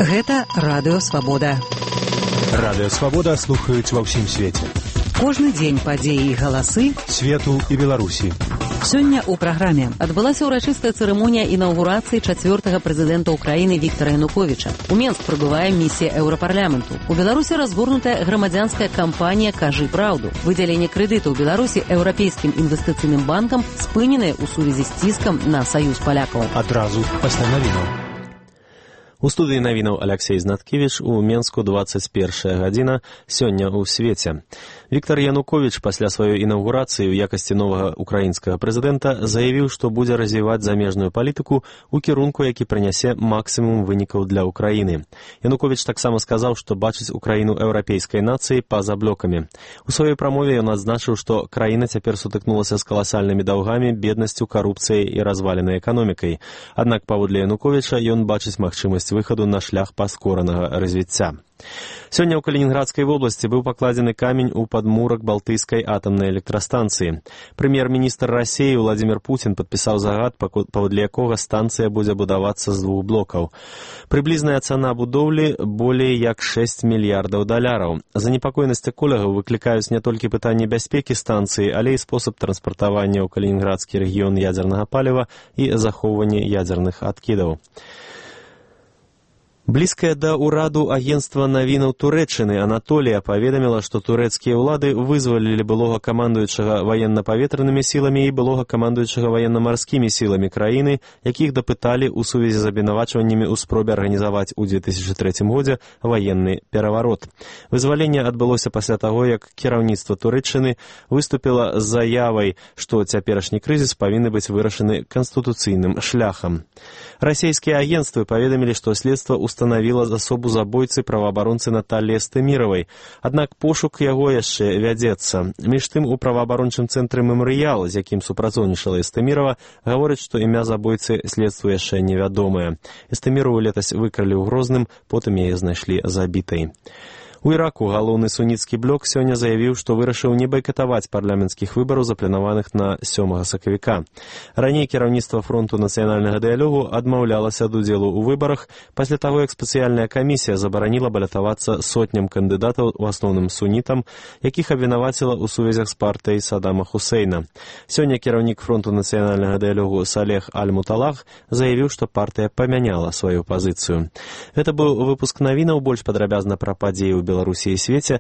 Гэта Радыё Свабода. Радыё Свабода слухаюць ва ўсім свеце. Кожны дзень падзеі і галасы свету і Беларусі. Сёння ў праграме адбылася ўрачыстая цырымонія інаўгурацыі 4-га прэзідэнта Украіны Віктара Януковіча. У Менск прыбывае місія Еўрапарламенту. У Беларусі разгорнутая грамадзянская кампанія «Кажы праўду». Выдзяленне крэдытаў Беларусі Еўрапейскім інвестыцыйным банкам спыненае ў сувязі з ціскам на саюз палякаў. Адразу пасля навінаў. У студыі навінаў Аляксей Знаткевіч, у Менску 21 гадзіна, сёння ў свеце. Віктар Януковіч пасля сваёй інаўгурацыі ў якасці новага украінскага прэзідэнта заявіў, што будзе развіваць замежную палітыку ў кірунку, які прынясе максімум вынікаў для Украіны. Януковіч таксама сказаў, што бачыць Украіну еўрапейскай нацыі па-за блокамі. У сваёй прамове ён адзначыў, што краіна цяпер сутыкнулася з каласальнымі даўгамі, беднасцю, карупцыяй і разваленай эканомікай. Аднак паводле Януковіча ён бачыць магчымасць выхаду на шлях паскоранага развіцця. Сёння ў Калінінградскай вобласці быў пакладзены камень у падмурак Балтыйскай атамнай электрастанцыі. Прэм'ер-міністр Расіі Владзімір Пуцін падпісаў загад, паводле якога станцыя будзе будавацца з 2 блокаў. Прыблізная цана будоўлі болей як $6 мільярдаў. Занепакоенасць эколагаў выклікаюць не толькі пытанні бяспекі станцыі, але і спосаб транспартавання ў Калінінградскі рэгіён ядзернага паліва і захоўвання ядзерных адкідаў. Блізкае да ўраду агенцтва навінаў Турэччыны Анатолія паведаміла, што турэцкія ўлады вызвалілі былога камандуючага ваенна-паветранымі сіламі і былога камандуючага ваенна-марскімі сіламі краіны, якіх дапыталі ў сувязі з абвінавачваннямі ў спробе арганізаваць у 2003 годзе ваенны пераварот. Вызваленне адбылося пасля таго, як кіраўніцтва Турэччыны выступіла з заявай, што цяперашні крызіс павінны быць вырашаны канстытуцыйным шляхам. Расійскія агенцтвы паведамілі, што следства устанавіла асобу забойцы праваабаронцы Наталлі Эстэміравай, аднак пошук яго яшчэ вядзецца. Між тым, у праваабарончым цэнтры «Мемарыял», з якім супрацоўнічала Эстэмірава, гавораць, што імя забойцы следству яшчэ невядомае. Эстэміраву летась выкралі ў Грозным, потым яе знайшлі забітай. У Іраку галоўны суніцкі блок сёння заявіў, што вырашыў не байкатаваць парламенцкіх выбараў, запланаваных на 7 сакавіка. Раней кіраўніцтва фронту нацыянальнага дыялогу адмаўлялася ад удзелу ў выбарах пасля таго, як спецыяльная камісія забараніла балятавацца сотням кандыдатаў, у асноўным сунітам, якіх абвінаваціла ў сувязях з партыяй Садама Хусейна. Сёння кіраўнік фронту нацыянальнага дыялогу Салех Аль-Муталах заявіў, што партыя памяняла сваю пазіцыю. Гэта быў выпуск навінаў, больш падрабязна пра падзеі ў Беларусі і свеце